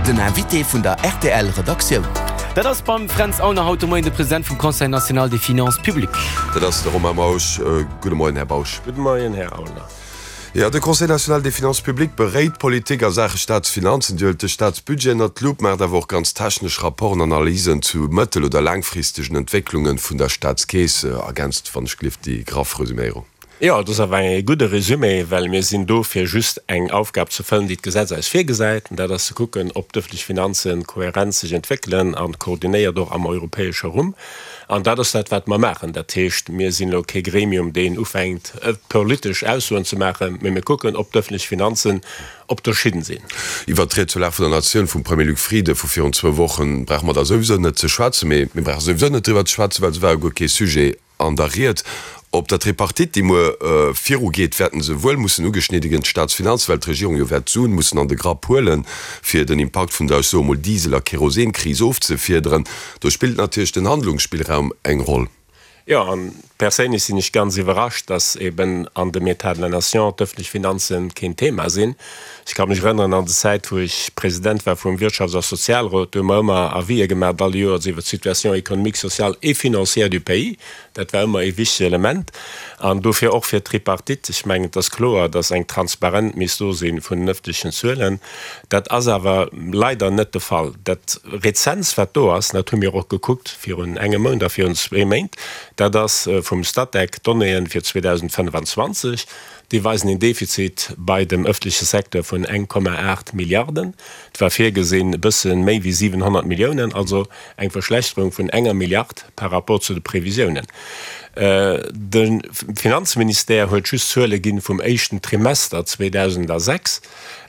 Den Invité vun der rtl Redaktioun. Dat ass beim Fränz Aulner haut de Moien de President vum Conseil national des finances publiques. Dat ass de Romain Bausch. Gudde Moien, Här Bausch. Gudde Moien, Här Aulner. Jo, de Conseil national des finances publiques beréit d'Politik a Saache Staatsfinanzen. Dir huelt de Staatsbudget ënnert d'Lupp, maacht awer och ganz technesch Rapporten, Analysen zu mëttel oder laangfristegen Entwécklunge vun der Staatskeess. Ergänzt, wann ech gelift, déi graff Resüméierung. Jo, et ass awer e gudde Résumé, well mir sinn do, fir just eng Aufgab ze fëllen, déi d'Gesetz eis virgesäit, an dat ass ze kucken, ob d'ëffentlech Finanze kohärent sech entwéckelen a koordinéiert och am europäesche Rumm. An dat ass dat, wat mer maachen. Dat heescht, mir sinn elo kee Gremium, deen ufänkt, politesch Aussoen ze maachen, mee mir kucken, ob d'ëffentlech Finanzen op der Schinn sinn. Iwwert d'Ried zur Lag vun der Natioun vum Premier Luc Frieden vu virun zwou Wochen brauche mer da souwisou net ze schwätzen. Mee mir brauche souwisou net driwwer ze schwätzen, well se war jo guer kee Sujet An der Ried op der Tripartite, déi muer virugeet, wäerten se wuel mussen ugeschnidde ginn, d'Staatsfinanzen, well d'Regierung jo wäert d'Suen mussen an de Grapp huelen, fir den Impakt vun der, ech soe mol, Diesel a Kerosenkris ofzefiederen. Do spillt natierlech den Handlungsspillraum eng Roll. Jo, an perséinlech sinn ech ganz iwwerrascht, dass eben an dem État de la Nation d'öffentlech Finanzen keen Thema sinn. Ech ka mech erënneren an de Zäit, wou ech President war vum Wirtschafts a Sozialrot, do hu mer ëmmer Avisë gemaacht all Joers iwwer d'Situation économique, sociale et financière du pays. Dat war ëmmer ee wichteg Element. An dofir och fir d'Tripartite, ech mengen, et ass kloer, dass eng Transparent misst do si vun den ëffentlechen Zuelen. Dat ass awer leider net de Fall. Dat Rezentst, wat do ass, dat hu mir och gekuckt virun engem Mount a virun zwee Méint, dat ass vum Statec d'Donnéeën fir 2025. Déi weisen een Defizit bei dem ëffentleche Secteur vun 1,8 Milliarden. Et war virgesinn e bësse méi wéi 700 Milliounen, also eng Verschlechterung vun enger Milliard par rapport zu de Previsiounen. De Finanzministère huet just Zuele ginn vum éischten Trimester 2006,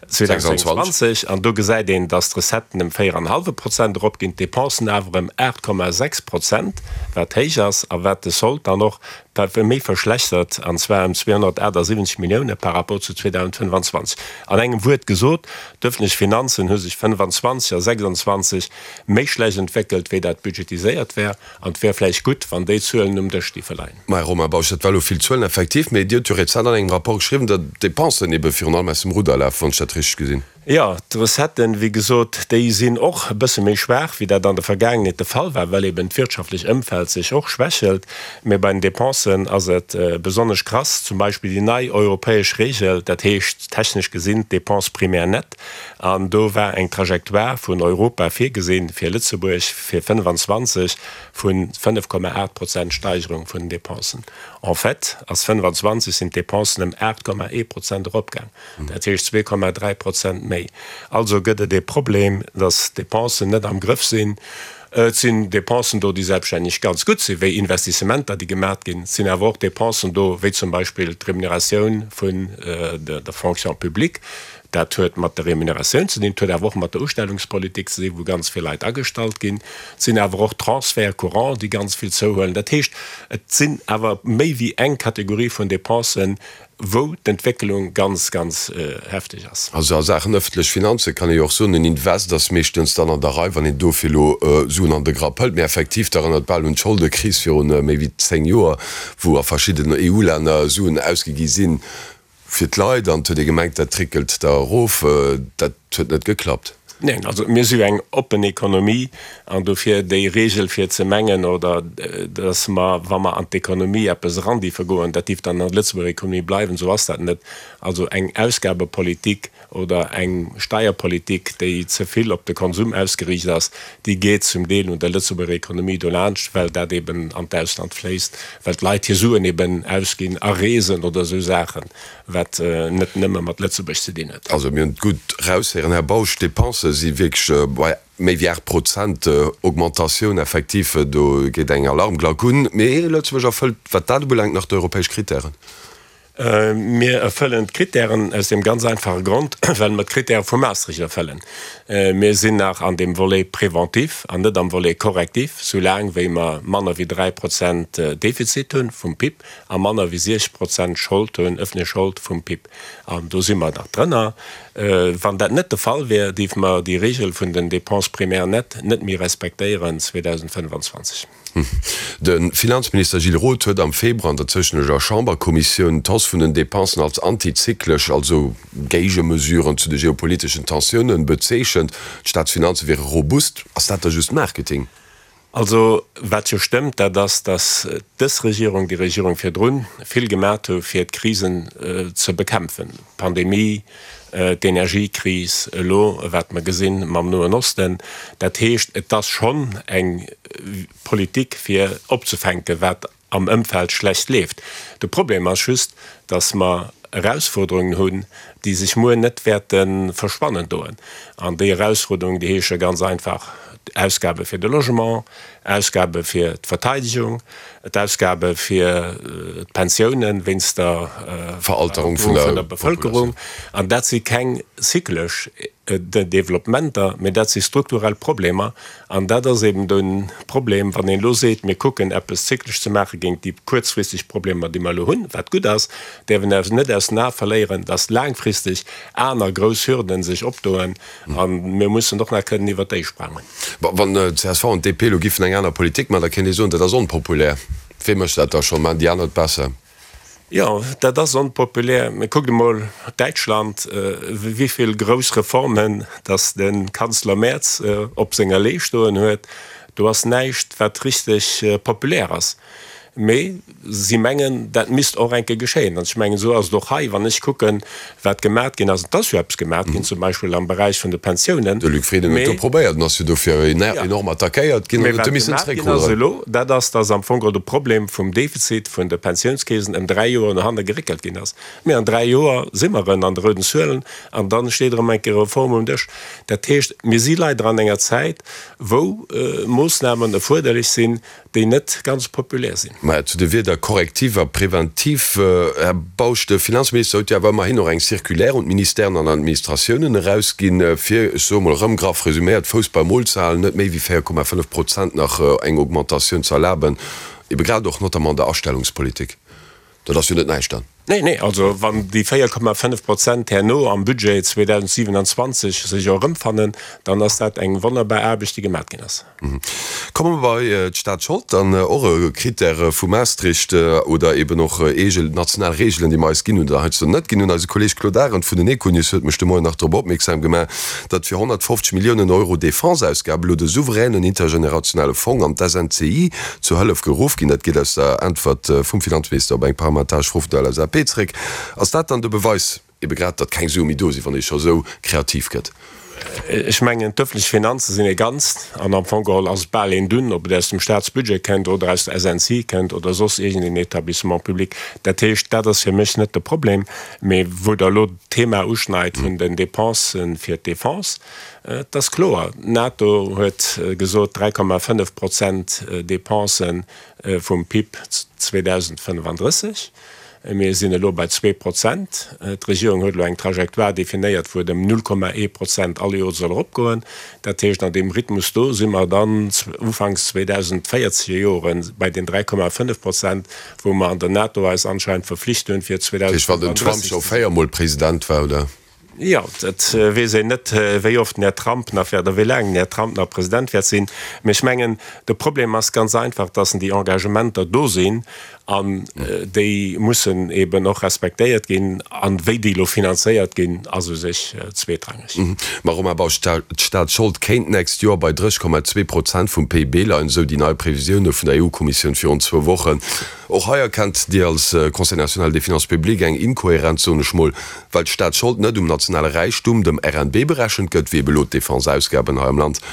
2026, an do gesäit een, datt d'Recetten ëm 4 an e hallwe Prozent eropginn, d'Depensen awer ëm 8,6 Prozent, wat héich ass a wat de Sold dann och Dat wär méi verschlechtert, an zwar ëm 278 Millioune par rapport zu 2025. An engem Wuert gesot, d'ëffentlech Finanzen hu sech 25 a 26 méi schlecht entwéckelt, wéi dat budgetiséiert war. An et wär vläicht gutt, wann déi Zuelen um Dësch géife leien. Mä, Romain Bausch, dat war elo vill Zuelen, effektiv, mee Dir hutt jo rezent an engem Rapport geschriwwen, datt d'Depensen ebe virun allem aus dem Rudder lafen, wann ech dat richteg gesinn. Jo, d'Recetten, wéi gesot, déi sinn och e bësse méi schwaach, wéi dat an der Vergaangenheet de Fall war, well eben d'wirtschaftlech Ëmfeld sech och schwächelt. Mee bei den Dépensen ass et besonnesch krass, zum Beispill déi nei europäesch Regel, dat heescht technesch gesinn d'Dépenses primaires nettes, an do war eng Trajectoire vun Europa virgesinn fir Lëtzebuerg fir 25 vu 5,8 Prozent Steigerung vun den Dépensen. En fait ass 25 sinn d'Dépensen ëm 8,1 Prozent eropgaang. Dat heescht 2,3 Prozent méi. Also gëtt et ee Problem, datt d'Depensen net am Grëff sinn. Et sinn Depensen do, déi selbststänneg ganz gutt sinn, wéi Investissementer, déi gemat ginn. Et sinn awer och Depensen do, wéi zum Beispill d'Remuneratioun vun der Fonction publique. Dat huet mat der Remuneratioun ze dinn, et huet awer och mat der Ustellungspolitik ze dinn, wou ganz vill Leit agestallt ginn. Et sinn awer och Transferts courants, déi ganz vill zouhuelen. Dat heescht, et sinn awer méi wéi eng Kategorie vun Depensen, wou d'Entwécklung ganz, ganz hefteg ass. Also a Saachen ëffentlech Finanze kann ee jo och soen, en Invest ass meeschtens dann an der Rei, wann een dofir elo Suen an de Grapp hëlt. Mee effektiv, dat erënnert bal un d'Scholdekris virun méi wéi 10 Joer, wou a verschiddenen EU-Länner Suen ausgi gi sinn fir d'Leit an et huet ee gemengt, dat tréckelt da erof. Dat huet net geklappt. Neen, also mir si jo eng oppen Ekonomie an dofir déi Regel fir ze mengen oder datt mer, wa mer an d'Ekonomie eppes erandiefe goen, dat dierf dann an der Lëtzebuerger Ekonomie bleiwen, esou ass dat net. Also eng Ausgabepolitik oder eng Steierpolitik, déi ze vill op de Konsum ausgeriicht ass, déi geet zum Deel un der Lëtzebuerger Ekonomie dolaanscht, well dat eben an d'Ausland fléisst, well d'Leit hir Suen eben ausginn a Reesen oder esou Saachen. Wat net nëmme mat Lëtzebuerg ze dinn huet. Also mir hunn et gutt eraushéieren, Här Bausch, d'Dépensë si wierklech bei méi wéi 8 Prozent Augmentatioun. Effektiv, do geet eng Alarmglack un. Mee Lëtzebuerg erfëllt, wat dat ubelaangt, nach d'europäesch Krittären. Mir erfëllen d'Krittären aus deem ganz einfache Grond, well mer d'Krittäre vu Maastricht erfëllen. Mir sinn nach an deem Volet préventif an net am Volet correctif, soulaang wéi mer manner wéi 3 Prozent Defizit hunn vum PIB. a manner wéi 60 Prozent Schold hunn, ëffentlech Schold vum PIB. An do si mer nach drënner. Wann dat net de Fall wär, géife mer déi Regel vun den Dépenses primaires nettes net méi respektéieren 2025. De Finanzminister Gilles Roth huet am Februar an der zoustännleger Chamberkommissioun d'Hausse vun den Depensen als antizyklesch, also Géigemesuren zu de geopoliteschen Tensiounen, bezeechent. D'Staatsfinanze wiere robust. Ass dat da just Marketing? Also, wat jo stëmmt, dat ass, datt dës Regierung, déi Regierung virdrun, vill gemat hu fir d'Krisen ze bekämpfen, d'Pandemie, d'Energiekris, elo wat mer gesinn mam Noen Osten. Dat heescht, et ass schonn eng Politik fir opzefänken, wat am Ëmfeld schlecht leeft. De Problem ass just, dass mer Erausfuerderungen hunn, déi sech muer net wäerte verschwannen doen. An déi Erausfuerderungen, déi heesche ganz einfach, Ausgabe fir de Logement, Ausgabe fir d'Verteidigung, d'Ausgabe fir d'Pensiounen wéinst der Veralterung vun der Bevëlkerung. An dat si keng zyklesch Developpementer, mä dat si strukturell Problemer. An dat ass eben de Problem, wann een elo seet, mir kucken eppes zyklesch ze maache géint déi kuerzfristeg Problemer, déi mer elo hunn, wat gutt ass, däerf een awer net aus den Ae verléieren, dass laangfristeg aner grouss Hürden sech opdoen a mir mussen och nach kënnen iwwert déi sprangen. Wann csv an DP elo giffen eng aner Politik maachen, da kéint ee soen, dat ass onpopulär. Wee mécht dat da schonn? Maachen déi aner et besser? Jo, dat ass onpopulär. Mee kuckt emol Däitschland, wéi vill grouss Reformen datt de Kanzler Merz op senger Lee stoen huet. Do ass näischt, wat richteg populär ass. Mee si mengen, dat misst och eng Kéier geschéien. An ech mengen, esou ass et och hei, wann ech kucken, wat gemat ginn ass. Et ass jo eppes gemat ginn, zum Beispill am Beräich vun de Pensiounen. De Luc Frieden huet do probéiert en ass jo dofir enorm attackéiert ginn an huet du missen zeréckrudderen. Mee wat gemat ginn ass elo, dat ass, datt am Fong de Problem vum Defizit vun de Pensiounskeesen ëm 3 Joer no hanne geréckelt ginn ass. Mee an 3 Joer si mer erëm an de rouden Zuelen an da steet erëm eng Kéier Reform um Dësch. Dat heescht, mir si leider an enger Zäit, wou Moossnamen erfuerderlech sinn, déi net ganz populär sinn. Mä zu de Wierder korrektiv a preventiv, Här Bausch, de Finanzminister huet jo awer ëmmerhin och eng Circulaire un d'Ministèren an Administratiounen erausginn, fir, ech soe mol erëm graff resüméiert, Fouss beim Mol ze halen, net méi wéi 4,5 Prozent nach eng Augmentatioun ze erlaben, ebe grad och notamment an der Astellungspolitik. Dat ass jo net näischt dann. Nee, nee, also wann déi 4,5 Prozent herno am Budget 2027 sech och erëmfannen, dann ass dat eng wonnerbar Aarbecht, déi gemat ginn ass. Komme mer bei d'Staatsschold, dann och e Critère vu Maastricht oder eben och eege national Reegelen, déi mer eis ginn hunn oder heiansdo net ginn hunn. Eise Kolleeg Claude Arend vun den Econews huet mech de Moien nach drop opmierksam gemaach, datt fir 150 Milliounen Euro Defense-Ausgabe elo de souveränen intergenerationale Fong an d'SNCI zur Hëllef geruff ginn. Dat geet aus der Äntwert vum Finanzminister op eng parlamentaresch Fro vun der LSAP zeréck. Ass dat dann de Beweis, ebe grad, datt keng Sue méi do sinn, wann ee scho sou kreativ gëtt? Ech mengen, d'ëffentlech Finanze sinn e Ganzt an am Fong geholl ass et bal een Dunn, ob et aus dem Staatsbudget kënnt oder aus der SNCI kënnt oder soss iergendeen Etablissement public. Dat heescht, dat ass fir mech net de Problem. Mee wou Der elo d'Thema uschneit vun den Dépensen fir d'Defense, et ass kloer, d'NATO huet gesot 3,5 Prozent Dépensen vum PIB 2035. Mir sinn elo bei 2 Prozent. D'Regierung huet elo eng Trajectoire definéiert, wou et ëm 0,1 Prozent all Joer soll eropgoen. Dat heescht, an deem Rhythmus do si mer dann ufanks 2040 Jore bei den 3,5 Prozent. Wou mer an der NATO eis anscheinend verflicht hunn, fir Dat heescht, wann den Trump 2035 scho ze. véiermol President war, oder? Jo, et weess een net, wéi oft den Här Trump nach wäert, oder wéi laang den Här Trump nach President wäert sinn. Mee ech mengen, de Problem ass ganz einfach, dass déi Engagementer do sinn an déi mussen eben och respektéiert ginn. An wéi déi elo finanzéiert ginn, ass u sech zweetrangeg. Ma Romain Bausch, d'Staatsschold kéint d'nächst Joer bei 30,2 Prozent vum PIB leien, esou déi nei Previsioune vun der EU-Kommissioun virun zwou Wochen. Och hei erkennt Dir als Conseil national des finances publiques eng Inkohärenz, soen ech mol, well d'Staatsschold net um nationale Räichtum, dem RNB, berechent gëtt, wéi ebe lo d'Defense-Ausgaben hei am Land.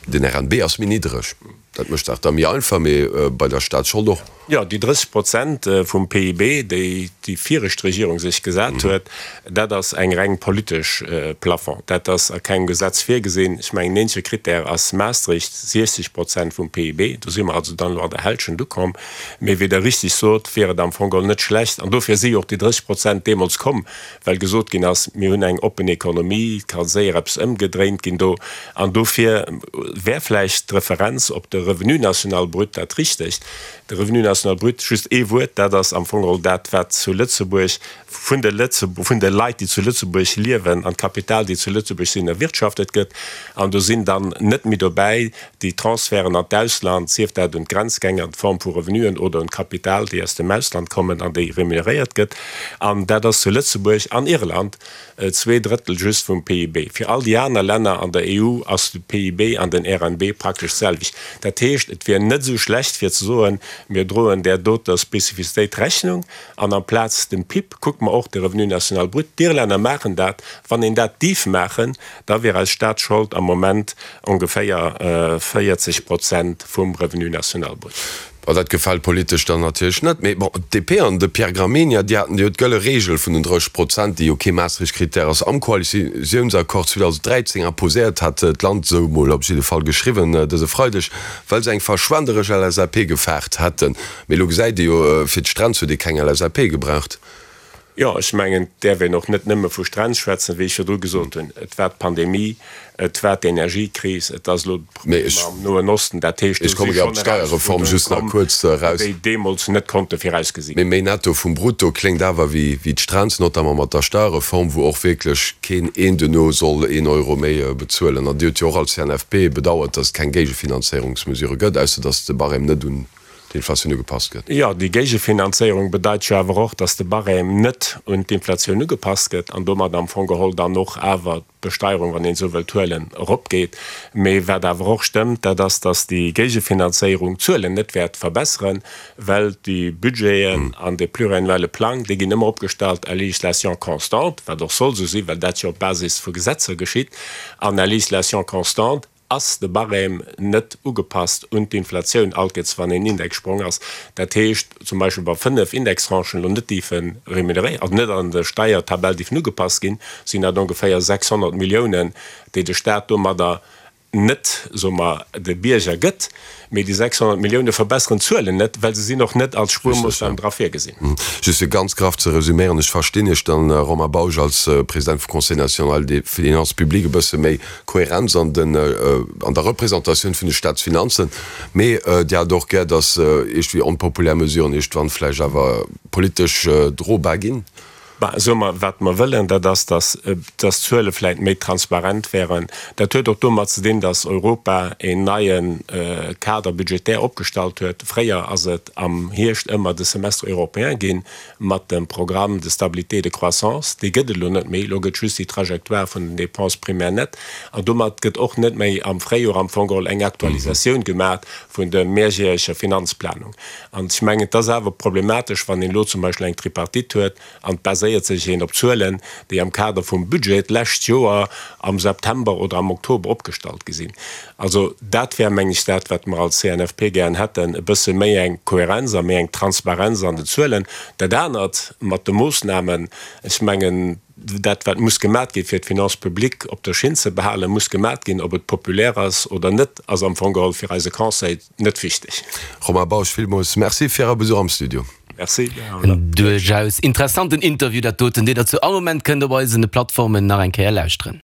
Den RNB ass méi niddereg, dat mécht d'Saach da méi einfach, mee bei der Staatsschold och. Jo, déi 30 Prozent vum PIB, déi déi viregt Regierung sech gesat huet, dat ass eng reng politesch Plafond. Dat ass a kengem Gesetz virgesinn. Ech mengen, den eenzege Krittär ass Maastricht, 60 Prozent vum PIB. Do si mer also dann elo an der Hälschent ukomm. Mee wéi Der richtig sot, wier et am Fong geholl net schlecht, an dofir si jo och déi 30 Prozent deemools komm, well gesot ginn ass, mir hunn eng oppen Ekonomie, et ka séier eppes ëmgedréint ginn do, an dofir wär vläicht d'Referenz op de. Revenu national brut dat Richtegt. De Revenu national brut, just ee Wuert, dat ass am Fong geholl dat, wat zu Lëtzebuerg vun de vun de Leit, déi zu Lëtzebuerg liewen an d'Kapital, déi zu Lëtzebuerg sinn, erwirtschaftet gëtt. An do sinn dann net méi dobäi déi Transferten an d'Ausland, sief dat un d'Grenzgänger an Form vu Revenuen oder un d'Kapital, déi aus dem Ausland kommen an déi remuneréiert gëtt. An dat ass zu Lëtzebuerg an Irland Zweedrëttel just vum PIB. Fir all déi aner Länner an der EU ass de PIB an den RNB praktesch d'selwecht. Dat heescht, et wier net esou schlecht fir ze soen, mir droen där doter Spezifizitéit Rechnung an amplaz dem PIB kucke mer och de Revenu national brut. D'Irlänner maachen dat. Wann een dat dierf maachen, da wier eis Staatsschold am Moment ongeféier 40 Prozent vum Revenu national brut. Bon, dat gefält politesch dann natierlech net. Mee bon, d'DP an de Pierre Gramegna, déi haten jo d'gëlle Reegel vun den 30 Prozent, déi jo kee Maastricht-Krittär ass, am Koalitiounsaccord 2013 imposéiert, hat d'Land esou mol op jidde Fall geschriwwen dëse Freideg, well se eng verschwenderesch LSAP gefaart hätten. Mee elo gesäit ee jo, fir d'Strenz huet ee keng LSAP gebraucht. Jo, ech mengen, et däerf een och net nëmme vu Strenz schwätzen, wéi ech virdru gesot hunn. Et war d'Pandemie, et war d'Energiekris, et ass elo d'Problemer am Noen Osten. Dat heescht, do si schonn Erausfuerderunge komm, déi deemools net konnte virausgesi ginn. Mee méi Netto vum Brutto kléngt awer wéi d'Strenz, notamment mat der Steierreform, wou och wierklech keen een duerno soll een Euro méi bezuelen. An Dir hutt jo och als CNFP bedauert, datt et keng Géigefinanzéierungsmesure gëtt, ausser datt de Barème net un d'Inflatioun ugepasst gëtt. Jo, déi Géigefinanzéierung bedeit jo awer och, datt de Barème net un d'Inflatioun ugepasst gëtt an domat am Fong geholl dann och awer d'Besteierung, wann een esou wëllt huelen, eropgeet. Mee wat awer och stëmmt, dat ass, datt déi Géigefinanzéierung d'Zuelen net wäert verbesseren, well déi Budgeten an de pluriannuelle Plang, déi ginn ëmmer opgestallt à législation constante, wat och soll esou sinn, well dat jo op Basis vu Gesetzer geschitt, an à législation constante ass de Barème net ugepasst un d'Inflatioun, alt gëtt wann een Indexsprong ass, dat heescht zum Beispill wa 5 Indextranchen elo net dierfe remuneréiert, also net an der Steiertabell dierfen ugepasst ginn, sinn dat ongeféier 600 Milliounen, déi de Staat domadder net, soe mer, de Bierger gëtt. Mee déi 600 Millioune verbesseren d'Zuelen net, well se sinn och net als Spuermoossnam dra virgesinn. Just fir ganz graff ze resüméieren, ech verstinn Iech dann, Romain Bausch, als President vum Conseil national des finances publiques, e bësse méi Kohärenz an den, an der Représentatioun vun de Staatsfinanzen, mee Dir hat och gär, datt iergendwéi onpopulär Mesuren iergendwann vläicht awer politesch drobar ginn. Bah, soe mer, wat mer wëllen, dat ass, dass dass d'Zuele vläicht méi transparent wären. Dat huet och domat ze dinn, dass Europa een neie Cadre budgétaire opgestallt huet. Fréier ass et am Hierscht ëmmer de Semestre européen ginn mat dem Programme de stabilité et de croissance. Dee gëtt et elo net méi. Elo gëtt just déi Trajectoire vun den Dépenses primaires nettes. An domat gëtt och net méi am Fréijoer am Fong geholl eng Aktualisatioun gemaach vun der mehrjähreger Finanzplanung. An ech mengen, et ass awer problematesch, wann een elo zum Beispill eng Tripartite huet an et baséiert sech een op Zuelen, déi am Kader vum Budget d'lescht Joer am September oder am Oktober opgestallt gi sinn. Also dat wär, meng ech, dat, wat mer als CNFP gären hätten, e bësse méi eng Kohärenz a méi eng Transparenz an den Zuelen. Dat anert mat de Moossnamen, ech mengen, dat wat muss gemat gi fir d'Finances publiques op der Schinn ze behalen, muss gemat ginn, ob et populär ass oder net, ass am Fong geholl fir eise Conseil net wichteg. Romain Bausch, villmools Merci fir Äre Besuch am Studio. Merci. En duerchaus interessanten Interview dat doten, deen der zu all Moment kënnt op eisen Plattformen nach eng Kéier lauschteren.